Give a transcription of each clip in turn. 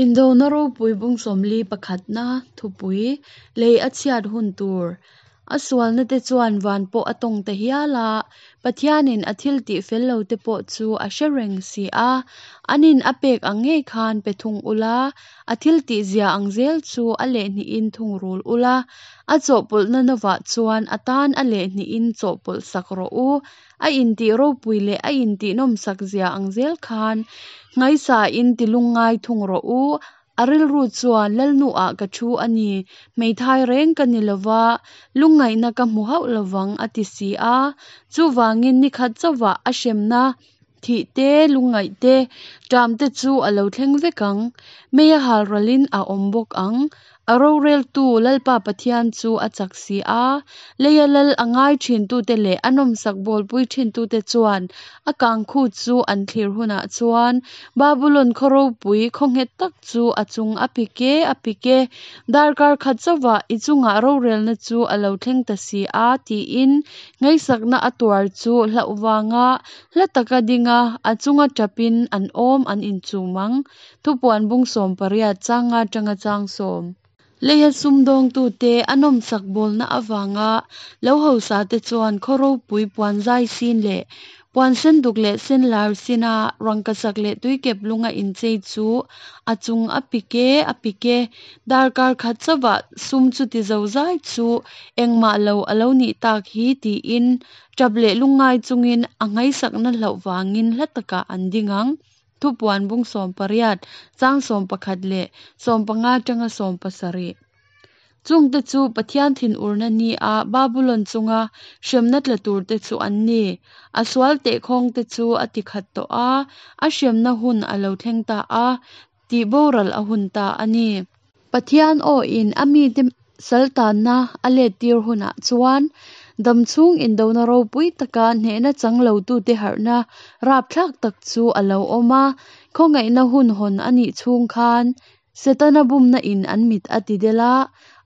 Indona ropui bung 40 pakhatna thupui lei a chhiat hun tur a sualna te chuan van pawh a tawng ta hial a, Pathianin a thil tih fel lo te pawh chu a hre reng si a, anin a pek ang ngei khan pe thung ula, a thil tih zia ang zel chu a lehhnihin thungrul ula, a chawhpawlhna novah chuan a tan a lehhnihin chawhpawlh sak rawh u. A intih ropui leh a intih nawmsak zia ang zel khan nghaisain ti lungngai thung rawh u. A rilru chuan, Lalnuah ka thu a ni, hmeithai reng ka ni lova, lungngaihna ka hmu hauh lovang a ti si a. Chuvangin nikhat chauhvah a hremna thih te, lungngaih te, ṭam te chu a lo thleng vek ang. Mei a hal ralin a awm bawk ang. A roreltu Lalpa Pathian chu a chak si a, leia lal a ngai ṭhintute leh a nawmsak bawlpui ṭhintute chuan a kangkhu chu an thlir hunah chuan Babulon khaw ropui khaw nghet tak chu a chung a pik e, a pik e, darkar khat chauhvah i chungah rorelna chu a lo thleng ta si a, tiin ngaihsakna a tuar chu hlauh vanga hla taka dinga a chunga ṭapin an awm an inchum ang. Thupuan bung 18 chang nga atanga chang sawm. Leia sumdawngtute a nawmsak bawlna avanga lo hausate chuan khaw ropui puan zai sin leh puan senduk leh senlar sina rangkachak leh tuikep lunga inchei chu a chung a pik e, a pik e. Darkar khat chauhvah sum chuti zozai chu engmah lo a lo nih tak hi tiin tap leh lungngai chungin a nghaisakna hlauh vangin hla takah an ding ang. Thupuan bung 18, chang 11 leh 15 atanga 17. Chungte chu Pathian thinurna ni a Babulon chunga hremna tla turte chu an ni. A sual tehkhawngte chu a ti khat tawh a, a hremna hun a lo thleng ta a, tih boral a hun ta a ni. Pathian awin a mite saltanna a lettir hunah chuan damchhung indona ropui taka hnehna chang lotute harhna rapthlak tak chu a lo awm a. Khawngaihna hun hawn a nih chhung khan Setana bumna in an mit a ti del a,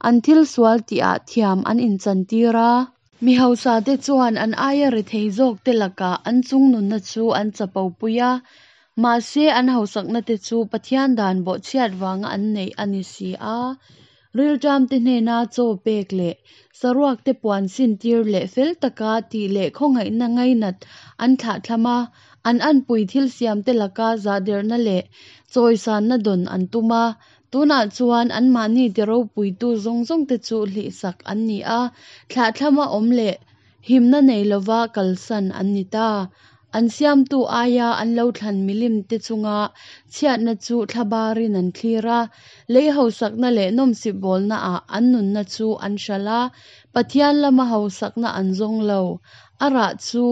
an thil sual tihah thiam an inchantir a. Mi hausate chuan an aia rethei zawkte lakah an chungnunna chu an chapopui a, mahse an hausaknate chu Pathian dan bawhchhiat vanga an neih a ni si a. Rilṭamte hnena chaw pek leh saruakte puan sintir leh fel taka tih leh khawngaihna ngainat an thlahthlam a, an anpui thil siamte laka zahderhna leh chawisanna dawn an tum a. Tunah chuan anmahni ti ropuitu zawng zawngte chu hlihsak an ni a, thlahthlama awm leh himna nei lova kalsan an ni ta. An siamtu aia an lo thlan milimte chunga chhiatna chu thlabarin an thlir a, lei hausakna leh nawmsip bawlnaah an nunna chu an hralh a, Pathian lama hausakna an zawng lo. A rah chu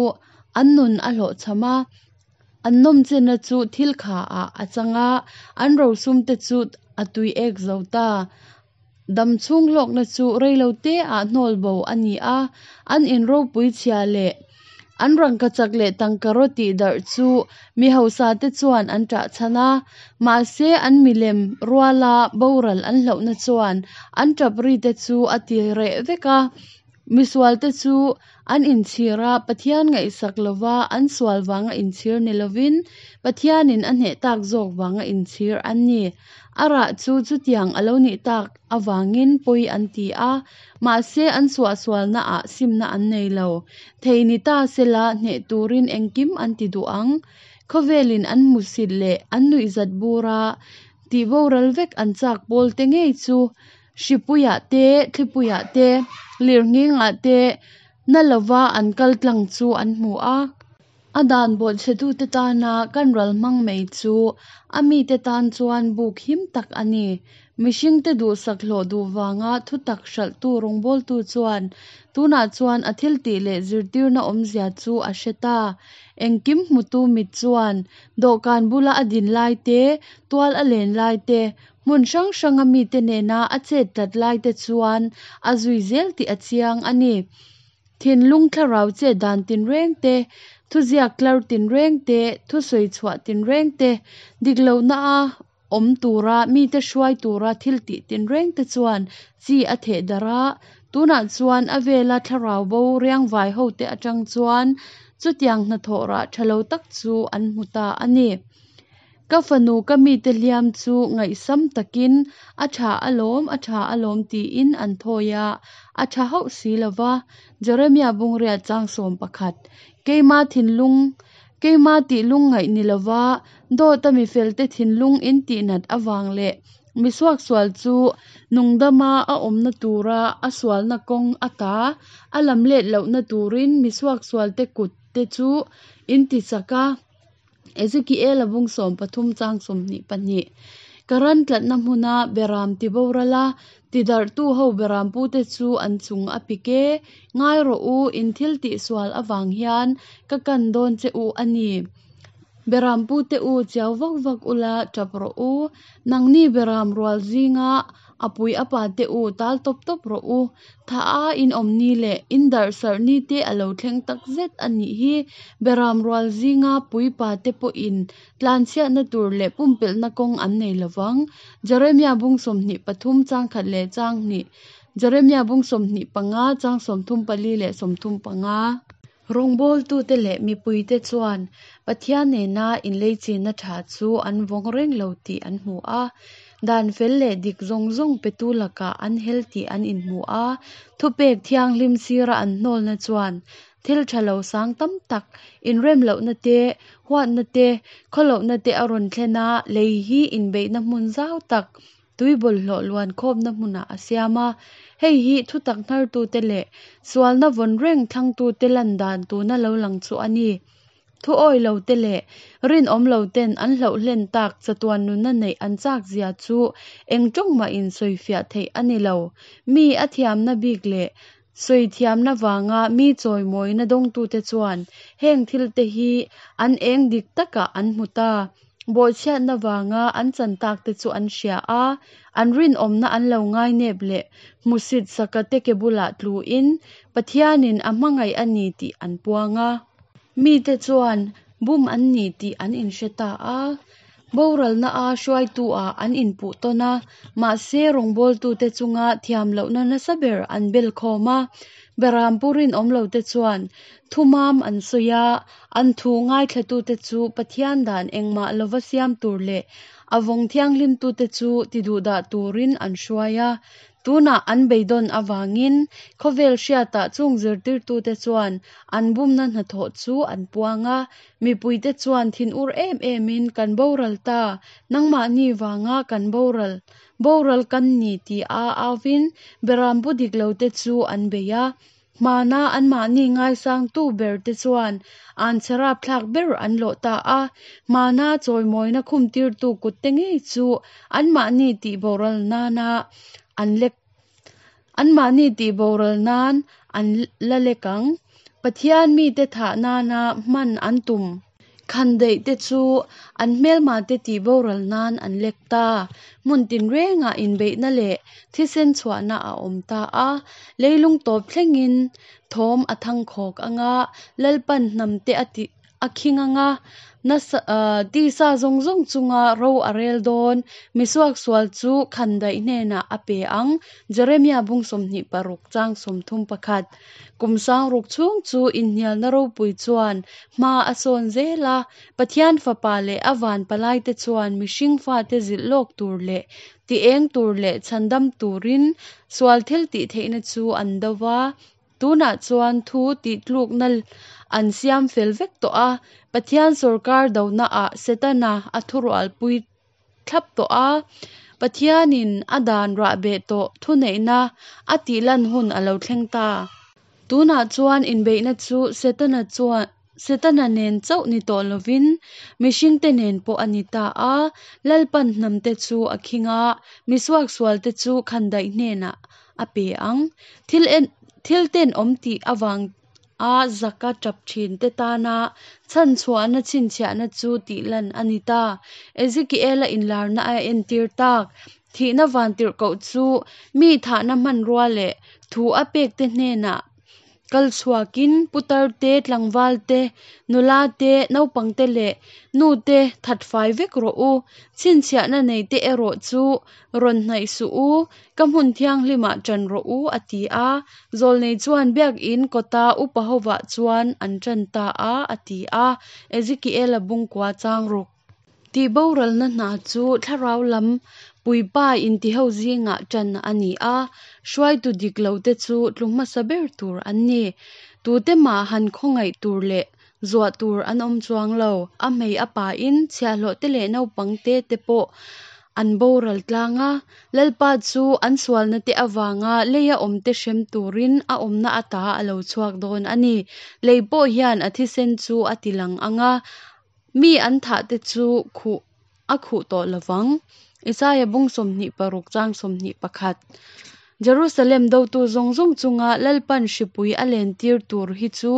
an nun a hlawhchham a. An nawmchenna chu thil kha ah a chang a, an rosumte chu a tui ek zo ta. Dam chhung hlawkna chu reilo te ah hnawl bo a ni a, an in ropui chhia leh an rangkachak leh tangkaraw tih darh chu mi hausa te chuan an ṭah chhan a, mahse an milem ruala boral an hlauhna chuan an ṭap ri te chu a ti reh vek a. Misualte chu an inchhir a, Pathian ngaihsak lova an sual vanga inchhir ni lovin Pathianin a hneh tak zawk vanga inchhir an ni. A rah chu chutiang a lo nih tak avangin pawi an ti a, mahse an suahsualnaah simna an nei lo. Thei ni ta sela hneh turin engkim an ti duh ang. Khawvelin an hmusit leh an nuihzat bura tihboral vek an chak pawlte ngei chu Hripuiah te, thlipuiah te, lirnghingah te na lova an kal tlang chu an hmu a. A dan bawhchhetute tana kan ral hmang mai chu a mite tan chuan buk him tak a ni. Mihringte duhsak hlawh duh vanga thutak hralhtu rawngbawltu chuan tunah chuan a thiltih leh zirtirna awmzia chu a hre ta. Engkim hmutu mit chuan dawhkan bula a din lai te, tual a len lai te, Hmun hrang hranga mite nena a chet tlat laite chuan a zui zel tih a chiang a ni. Thinlung thlarau chet dan tinreng te, thuziak tlar tinreng te, thusawi chhuah tinreng te, dik lohna a awm tura mite hruai tura thil tih tinreng te chuan chi a theh darh a, tunah chuan a vela thlarau bo riangvai hote atang chuan chutiang hnathawh rah tha lo tak chu an hmu ta a ni. Ka fanu ka mite hliam chu ngaihsam takin, A tha alawm, a tha alawm tiin an thawi a, a tha hauh si lo va. Jeremia bung riat chang 11. Keima thinlung, keima tih lungngaih ni lova, dawta mifelte thinlung in tihnat avang leh mi suaksual chu nungdama a awmna tura a sualna kawng ata a lamlet lohna turin mi suaksualte kut te chu in tichak a. Ezekiela bung 13 chang 22. Ka ran tlatna hmuna beram tiboral a, tidarhtu ho berampute chu an chung a pik e. Ngai rawh u, in thil tihsual avang hian ka kan dawn che u a ni. Berampute u, chiau vak vak ula, tap rawh u. Nangni beram rual zinga a pui a pate u, tal tawp tawp rawh u. Tha a in awm ni leh in darh sarh ni te a lo thleng tak zet a nih hi. Beram rual zinga pui pate pawhin tlanchhiatna tur leh pumpelhna kawng an nei lo vang. Jeremia bung 23 chang khat leh chang hnih, Jeremia bung 25 chang 34 leh 35. Rawngbawltute leh mipuite chuan Pathian nena inleichina tha chu an vawng reng lo tih an hmu a. Dan fel leh dik zawng zawng petu lakah an hel tih an inhmu a. Thupek thianghlim sira an hnawlna chuan thil tha lo sang tam tak, inremlohna te, huatna te, khawlohna te a rawn thlen a, lei hi inbeihna hmun zau tak, tui bawlhhlawh luan khawmna hmunah a siam a. Hei hi thutak hnartute leh sualna vawn reng thlangtute lan dan tuna lo lang chu a ni. Thu awi lote leh rinawm loten an hlauh hlen tak chatuan nunna neih an chak zia chu eng tawng mahin sawifiah theih a ni lo. Mi a thiamna bik leh sawi thiamna vanga mi chawimawina dawngtute chuan heng thilte hi an eng dik takah an hmu ta. Bawhchhiatna vanga an chan takte chu an hria a, an rinawmna an lo ngainep leh hmusit sakate ke bulah tluin Pathianin a hmangaih a ni tih an puang a. Mite chuan bum an ni tih an inhre ta a, boralna-a hruaitu-ah an inpuh tawn a, mahse rawngbawltute chunga thiam lohna nasa ber an bel khawm a. Berampu rinawm lote chuan thumam an sawi a, an thu ngaithlatute chu Pathian dan engmah lova siam tur leh a vawng thianghlimtute chu tiduhdah turin an hruai a. Tunah an beidawn avangin khawvel hriatah chung zirtirtute chuan an bumna hnathawh chu an puang a, mipuite chuan thinur em emin kan boral ta, nangmahni vanga kan boral, boral kan ni tia auvin berampu dik lote chu an bei a. Hmana anmahni ngaisangtu berte chuan an chhe rapthlak ber an lawh ta a, hmana chawimawina khumtirtu kutte ngei chu anmahni tihboral nana an lek anmahni tihboral nan an la lek ang. Pathian mite thah nana hman an tum. Khandaih te chu an hmelma te tih boral nan an lek ta. Hmun tinrengah inbeihna leh thisen chhuahna a awm ta a. Leilung tawp thlengin thawm a thangkhawk anga Lalpan hnam te a tih a khing anga nasa tisa zawng zawng chunga ro a rel dawn. Misuaksual chu khandaih hnenah a pe ang. Jeremia bung 26 chang 31. Kum sangruk chhung chu inhnialna ropui chuan hma a sawn zel a, Pathian Fapa leh a van palaite chuan mihring fate zilh lawk tur leh ti eng tur leh chhandam turin sual thil tih theihna chu an do va. Tunah chuan thu tihtlukna an siam fel vek tawh a, Pathian sawrkar donaah Setana a thurualpui thlap tawh a, Pathianin a dan rahbeh tawh thuneihna a tihlan hun a lo thleng ta. Tunah chuan inbeihna chu Setana chuan Setana nen chauh ni tawh lovin mihringte nen pawh a ni ta a, Lalpan hnamte chu a khing a, misuaksualte chu khandaih hnenah a pe ang. Thil en thil tenawm tih avang a zaka tap thin te tana chhanchhuahna chhinchhiahna chu tihlan a ni ta. Ezekiela inlarna a entir tak. Thihna vantirhkoh chu mi thahna hmanrua leh thu a pek te hnenah kal chhuakin putar te, tlangval te, nula te, naupang te leh nu te that fai vek rawh u. Chhinchhiahna nei te erawh chu rawn hnaih suh u, ka hmun thianghlimah ṭan rawh u, a ti a. Zawlnei chuan biakinn kawta upa hovah chuan an ṭan ta a, a ti a. Ezekiela bung kua chang ruk. Tihboralna hna chu thlarau lam puipa intiho zingah ṭan a ni a, hruaitu dik lote chu tlu hmasa ber tur an ni. Tute mah han khawngaih tur leh zuah tur an awm chuang lo. A hmei a pain chhiahhlawhte leh naupangte te pawh an boral tlang a. Lalpa chu an sualnate avanga leia awmte hrem turin a awmna ata a lo chhuak dawn a ni. Lei pawh hian a thisen chu a tilang ang a, mi an thahte chu khuh a khuh tawh lo vang. Isaia bung 26 chang 21. Jerusalem dotu zawng zawng chunga Lalpan hripui a lentir tur hi chu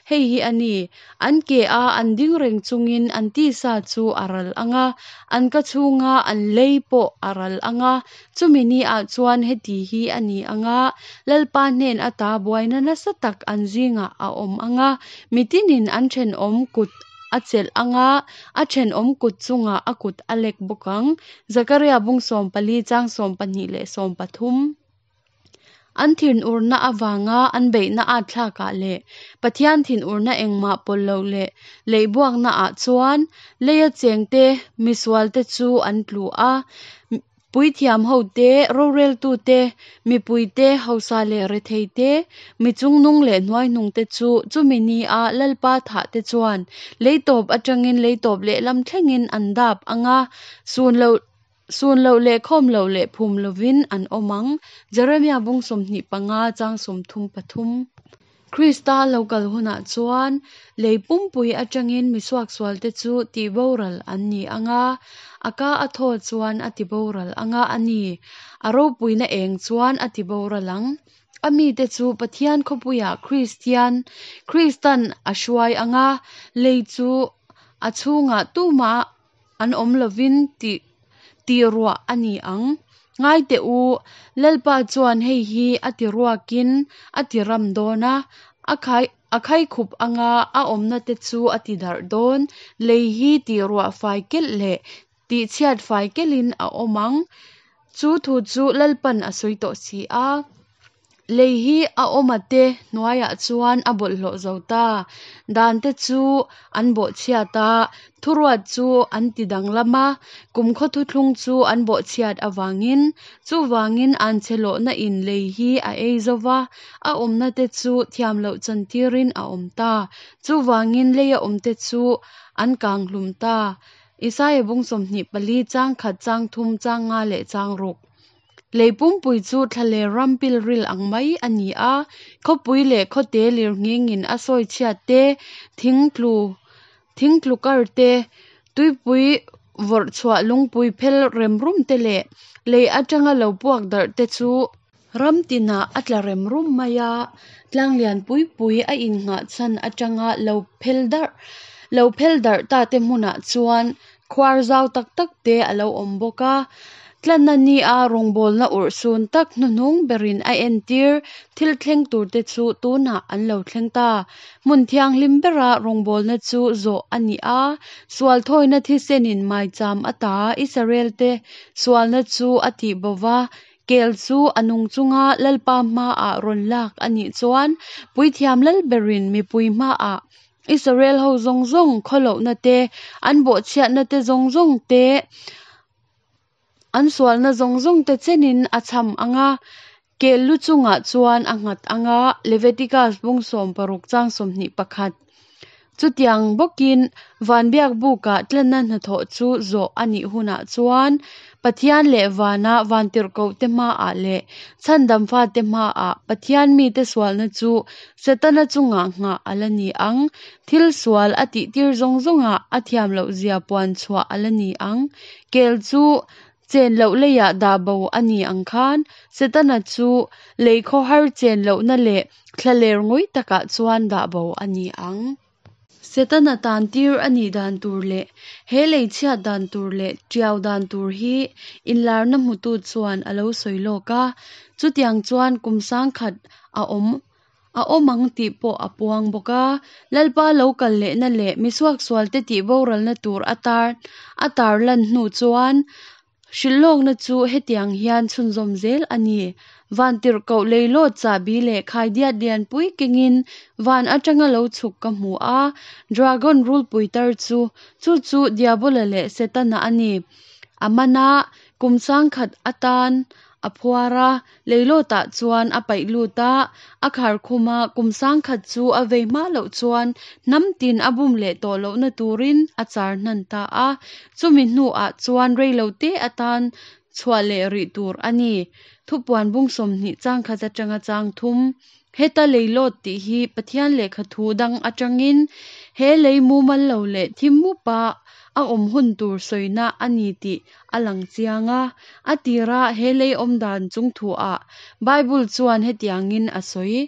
hei hi a ni, An ke a an ding reng chungin an tisa chu a ral ang a, an ka chhunga an lei pawh a ral ang a. Chumi ni ah chuan heti hi a ni ang a, Lalpa hnen ata buaina nasa tak an zingah a awm ang a, mitinin an thenawm kut a chelh ang a, a thenawm kut chungah a kut a lek bawk ang. Zakaria bung 14 chang 12 leh 13. An thinurna avanga an beihna at thlakah leh Pathian thinurna engmah pawlh loh leh leihbuaknaah chuan leia chengte misualte chu an tlu a. Puithiam hote, roreltute, mipuite, hausa leh retheite, mi chungnung leh hnuaihnungte chu chumi nia Lalpa thahte chuan lei tawp atangin lei tawp lehlam thlengin an dap ang a, sun loh sun loh leh khawm loh leh phum lovin an awm ang. Jeremia bung 25 chang 33. Krista lo kal hunah chuan lei pumpui atangin mi suaksualte chu tihboral an ni ang a, a ka a thaw chuan a tiboral ang a, a ni, a ropuina eng chuan a tiboral ang. A mite chu Pathian khawpuiah Kristian, Kristan a hruai ang a, lei chu a chhungah tumah an awm lovin tih tih ruah a ni ang. Ngai teh u, Lalpa chuan hei hi a ti ruakin a ti ram dawn a, a khai a khaikhup anga a awmna te chu a ti darh dawn. Lei hi tih ruah fai kelh leh tih chhiat fai kelhin a awm ang. Chu thu chu Lalpan a sawi tawh si a. Lei hi a awma te hnuaiah chuan a bawlhhlawh zo ta. Dan te chu an bawhchhiat a, thuruat chu an ti danglam a, kumkhaw thuthlung chu an bawhchhiat avangin. Chuvangin anchhe lawhna in lei hi a ei zo va, a awmna te chu thiam loh chantirin a awm ta. Chuvangin leia awmte chu an kang hlum ta. Isaia bung 24 chang khat chang thum chang nga leh chang ruk. Lei pumpui chu thlaler ram pilril ang mai a ni a, khawpui leh khawte lirnghingin a sawi chhiat te, thing tlu thing tlu kar te, tuipui vawrh chhuah lungpui phel rem rum te leh lei atanga lo puak darh te chu ram tinah a tla rem rum mai a, tlang lian pui pui a innghah chhan atanga lo phel darh lo phel darh ta te hmunah chuan Khuar zau tak tak te a lo awm bawk a, tlanna nia rawngbawlna urhsun tak hnuhnung berin a entir thil thleng tur te chu tunah an lo thleng ta. Hmun thianghlim bera rawngbawlna chu zawh a ni a, sual thawina thisenin maicham ata Israel te sualna chu a tih bo va, kel chu a nung chunga Lalpa hmaah rawn lak a nih chuan Puithiam Lalberin mipui hmaah Israel ho zawng zawng khawlohna te, an bawhchhiatna te zawng zawng te, an sualna zawng zawng te chenin a cham ang a, kel lu chungah chuan a nghat ang a, Leviticus bung 16 chang 21. Chutiang bawkin van biak bukah tlanna hnathawh chu zawh a nih hunah chuan Pathian leh vana vantirhkohte hmaah leh chhandam fate hmaah Pathian mite sualna chu Setana chungah nghah a la ni ang. Thil sual a tihtir zawng zawngah a thiam loh zia puan chhuah a la ni ang. Kel chu chen loh leiah dah bo a ni ang khan Setana chu lei khawhar chen lohna leh thlaler ngawih takah chuan dah bo a ni ang. Setana tan tir a nih dan tur leh he lei chhiat dan tur leh tiau dan tur hi inlarna hmutu chuan a lo sawi lawk a, chutiang chuan kum sangkhat a awm a awm ang tih pawh a puang bawk a. Lalpa lo kal lehna leh misuaksualte tih boralna tur a tar a tarlan hnu chuan. Hrilhlawkna chu hetiang hian chhunzawm zel a ni, Vantirhkoh leilawt chahbi leh khaidiat lianpui kengin van atanga lo chhuk ka hmu a, dragon rulpui tar chu, chu chu Diabola leh Setana a ni. A man a, kum sangkhat atan a phuar a, leilawtah chuan a paih lut a, a khar khum a, kum sangkhat chu a vei hma loh chuan hnam tin a bum leh tawh lohna turin a char hnan ta a, chumi hnuah chuan reilote atan chhuah leh rih tur a ni. Thupuan bung 20 chang khat atanga chang thum. Heta leilawt tih hi Pathian lehkha thu dang atangin he lei mumal lo leh thim mupa a awm hun tur sawina a ni tih a lang chiang a. A tira he lei awm dan chung thuah Bible chuan hetiangin a sawi.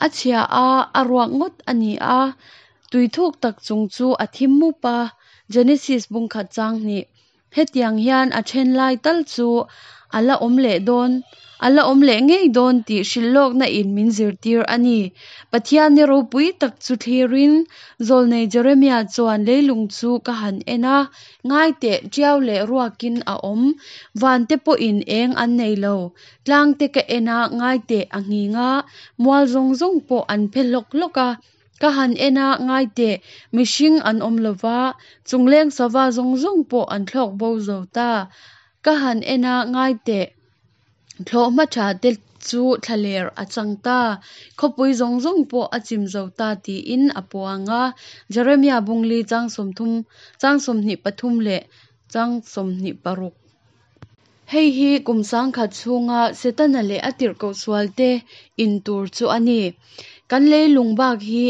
A chhia a, a ruak ngawt a ni a, tui thuk tak chung chu a thim mup a, Genesis bung khat chang hnih. Hetiang hian a then lai tal chu a la awm leh dawn, a la awm leh ngei dawn tih hrilhlawkna in min zirtir a ni. Pathian ni ropui tak chu thlirin Zawlnei Jeremia chuan leilung chu ka han en a, ngai teh tiau leh ruakin a awm, van te pawhin eng an nei lo, tlang te ka en a, ngai teh a nghing a, mual zawng zawng pawh an phe hlawk hlawk a. Ka han en a, ngai teh, mihring an awm lo va, chungleng sava zawng zawng pawh an thlawk bo zo ta. Ka han en a, ngai teh, thlawhhma tha te chu thlaler a chang ta, khawpui zawng zawng pawh a chim zo ta tiin a puang a. Jeremia bungli chang 30, chang 23 leh chang 26. Hei hi kum sangkhat chhunga Setana leh a tirhkoh sualte in tur chu a ni. Kan leilung bak hi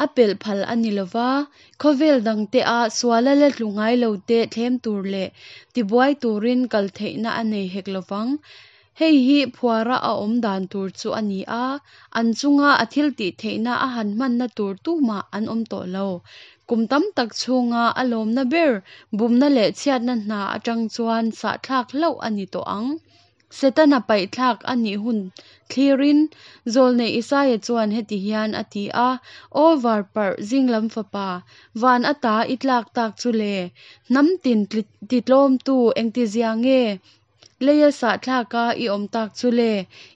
a pelh phal a ni lova, khawvel dangte a suala la tlu ngai lote thlem tur leh tibuai turin kal theihna a nei hek lovang. Hei hi phuara a awm dan tur chu a ni a, an chunga a thiltih theihna a han hmanna tur tumah an awm tawh lo. Kum tam tak chhunga a lawmna ber bumna leh chhiatna hna atang chuan sahthlak hlauh a ni tawh ang. Setana paihthlak a nih hun thlirin Zawlnei Isaia chuan heti hian a ti a, Aw varparh zinglam fapa, van ata i tlak tak chu le, hnam tin titlawmtu engtizia nge? Leia sahthlaka i awm tak chu le,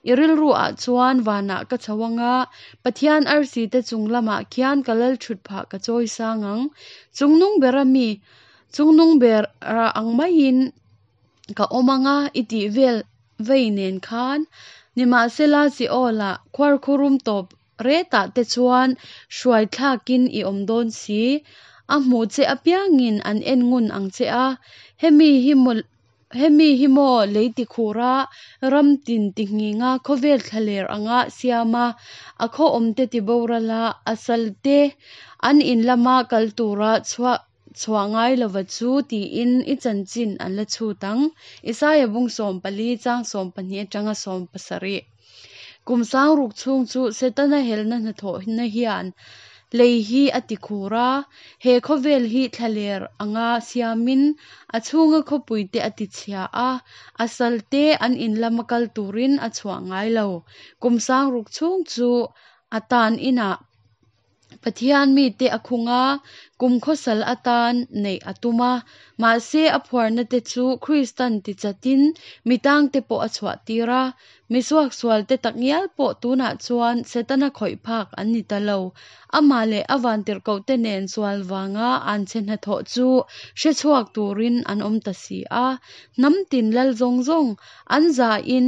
i rilru ah chuan vanah ka chho anga, Pathian arsi te chung lamah khian ka lal thut phah ka chawi sang ang. Chungnung bera mi, chungnung bera ang maiin ka awm anga i tih vel vei nen khan. Nimahsela Seol-ah khuarkhurum tawp Retah te chuan hruai thlakin i awm dawn si. A hmuh che apiangin an en ngun ang che a, hemi hi maw hemi hi maw lei tikhura ram tin tihnghinga khawvel thlaler anga siam a, a khaw awmte tiboral a, a salte an in lama kal tura chhuah chhuah ngai lova chu tiin i chanchin an la chhut ang. Isaia bung 14 chang 12 atanga 17. Kum sangruk chhung chu Setana helna hnathawhna hian lei hi a ti khur a, he khawvel hi thlaler anga siamin a chhunga khawpuite a ti chhia a, a salte an in lama kal turin a chhuah ngai lo. Kum sangruk chhung chu a tan inah Pathian mite a khung a, kum khawsal atan neih a tum a. Mahse, a phuarna te chu Kristan tichatin mi tangte pawh a chhuah tir a. Mi suaksualte takngial pawh tunah chuan Setana khawih phak an ni ta lo. Amah leh a vantirhkohte nen sual vanga anchhe hnathawh chu hre chhuak turin an awm ta si a. Hnam tin lal zawng zawng an zahin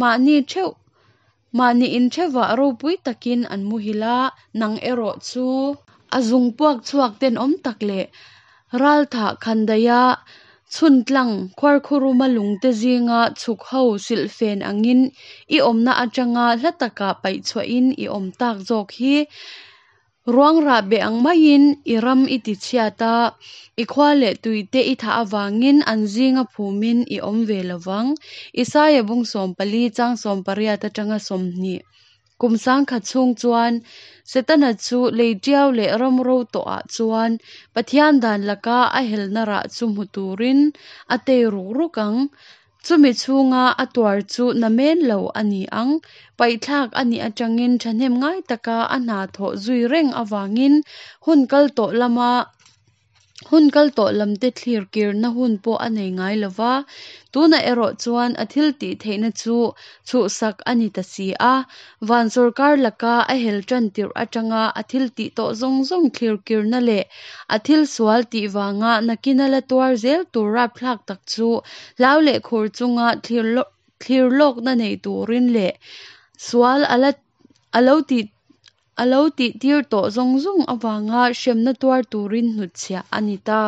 mahni theuh Mahni inthevah ropui takin an muhil a, nang erawh chu a zung puak chhuak tenawm tak leh ralthah khandaiha chhuntlang khuarkhuruma lungte zinga chhuk ho silhfen angin i awmna atanga hla takah paihchhuahin i awm tak zawk hi. Ruang rah beh ang maiin i ram i ti chhiat a, i khua leh tuite i thah avangin an zinga phumin i awm ve lo vang. Isaia bung 14 chang 18 atanga 20. Kum sangkhat chhung chuan Setana chu lei tiau leh ram ro tawhah chuan Pathian dan laka a helna rah chu hmu turin a tei ruk ruk ang. Chumi chhunga a tuar chu namen lo a ni ang. Paihthlak a nih atangin thahnem ngai taka a hna thawh zui reng avangin hun kal tawh lama Hun kal tawh lamte thlir kirna hun pawh a nei ngai lo va, tunah erawh chuan a thil tih theihna chu chhuhsak a ni ta si a. Van sawrkar laka a hel tan tirh atanga a thil tih tawh zawng zawng thlir kirna leh a thil sual tih vanga nakina la tuar zel tur rapthlak tak chu hlau leh khur chunga thlir lawkna nei turin leh sual a la a lo tih A lo tihtir tawh zawng zawng avanga hremna tuar turin hnutchhiah a ni ta.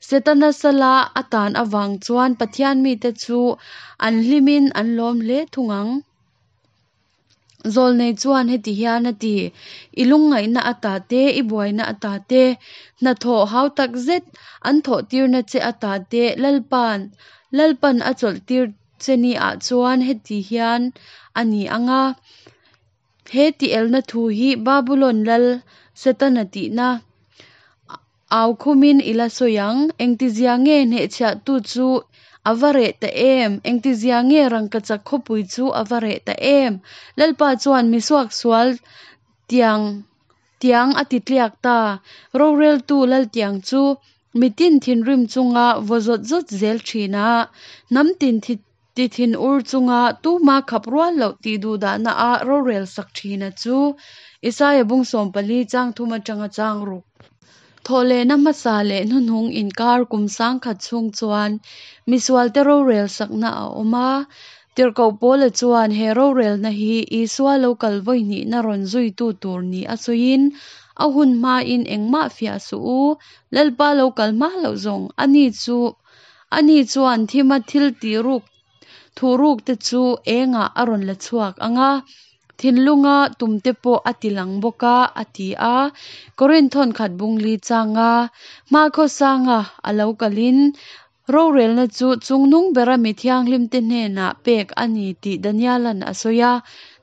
Setana sala a tan avang chuan Pathian mite chu an hlimin an lawm hle thung ang. Zawlnei chuan heti hian a ti, I lungngaihna ata te, i buaina ata te, hnathawh hau tak zet an thawhtirna che ata te Lalpa'n Lalpa'n a chawlhtir che niah chuan heti hian a ni ang a. He tielna thu hi Babulon lal Setana tihna au khumin i la sawi ang. Engtizia nge hnehchhiahtu chu a va reh ta em? Engtizia nge rangkachak khawpui chu a va reh ta em? Lalpa chuan misuak sual tiang tiang a ti tliak ta. Roreltu laltiang chu mitin thinrim chunga vaw zawt zawt zel thin a, hnam tin Ti thin ur chunga tuma khap rual loh tih duhdahna a rorel sak thina chu Isaia bung 14 chang thum atanga chang ruk. Thawhlehna hmasa leh hnuhnung inkar kum 1000 chhung chuan misualte rorel sakna a awm a. Tirhkoh Paula chuan he rorelna hi Isua lo kal vawi hnihna rawn zuitu tur ni a sawiin, A hun hmain engmah fiah suh u, Lalpa lo kal hma loh zawng a ni chu Ani chuan thima thil tih ruk thuh ruk te chu engah a rawn la chhuak ang a, thinlunga tum te pawh a ti lang bawk a, a ti a. Korinth thawnkhat bung li changa hmakhaw sanga a lo kalin rorelna chu chungnung bera mi thianghlimte hnenah pek a ni tih Daniela'n a sawi a,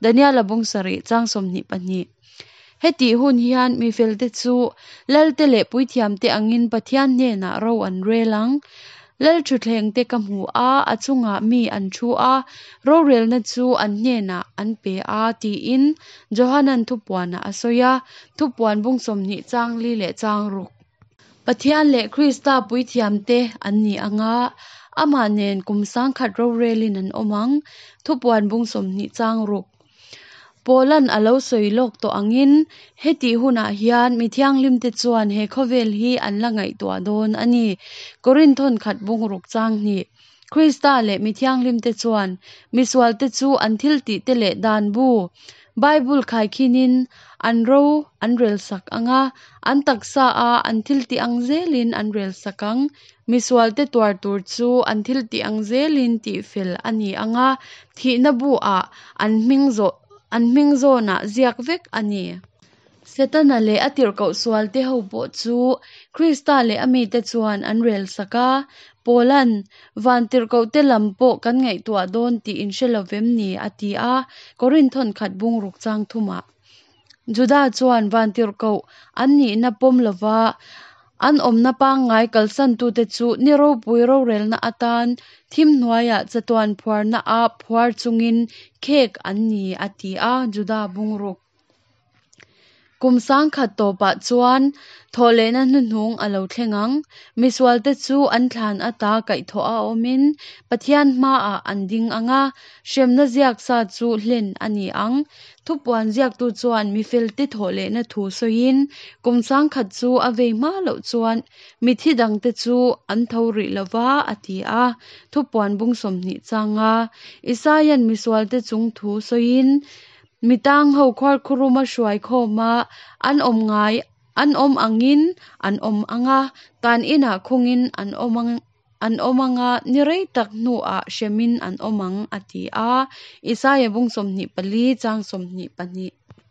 Daniela bung sarih chang 22. Hetih hun hian mi felte chu Lalte leh puithiamte angin Pathian hnenah ro an rel ang. Lal thutthlengte ka hmu a, a chungah mi an thu a, rorelna chu an hnenah an pe a, tiin Johanan thupuanah a sawi a, thupuan bung 20 chang li leh chang ruk. Pathian leh Krista puithiamte an ni ang a, amah nen kum 1000 rorelin an awm ang, thupuan bung 20 chang ruk. Paula'n a lo sawi lawk tawh angin, hetih hunah hian mi thianghlimte chuan he khawvel hi an la ngaihtuah dawn a ni. Korinth thawnkhat bungruk chang hnih. Krista leh mi thianghlimte chuan misualte chu an thiltihte leh dan bu, Bible khaikhinin an ro an relsak ang a, an taksa a an thiltih ang zelin an relsak ang. Misualte tuar tur chu an thiltih ang zelin tihfel a ni ang a, thihna bu-ah an hming zawh an hming zawnah ziak vek a ni. Setana leh a tirhkoh sualte ho pawh chu Krista leh a mite chuan an relsak a, Paula'n, Van tirhkohte lam pawh kan ngaihtuah dawn tih in hre lo vem ni? a ti a, Korinth thawnkhat bungruk chang thumah. Juda chuan vantirhkoh an nihna pawm lova an awmna pangngai kalsantute chu ni ropui rorelna atan thim hnuaiah chatuan phuarna a phuar chungin khek an ni a ti a, Juda bungruk. Kum 1000 tawpah chuan thawhlehna hnuhnung a lo thleng ang. Misualte chu an thlan ata kaihthawh a awmin Pathian hmaah an ding ang a, hremna ziak sa chu hlen a ni ang. Thupuan ziaktu chuan mi felte thawhlehna thu sawiin kum 1000 chu a vei hma loh chuan mithi dangte chu an tho rih lo va, a ti a. Thupuan bung 20 changa Isaia'n misualte chung thu sawiin mi tangho khuarkhuruma hruai khawma an awm ngai an awm angin an awm ang a, tan inah khungin an awm ang. An awm ang a, ni rei tak hnuah hremin an awm ang, a ti a. Isaia bung 24 chang 22.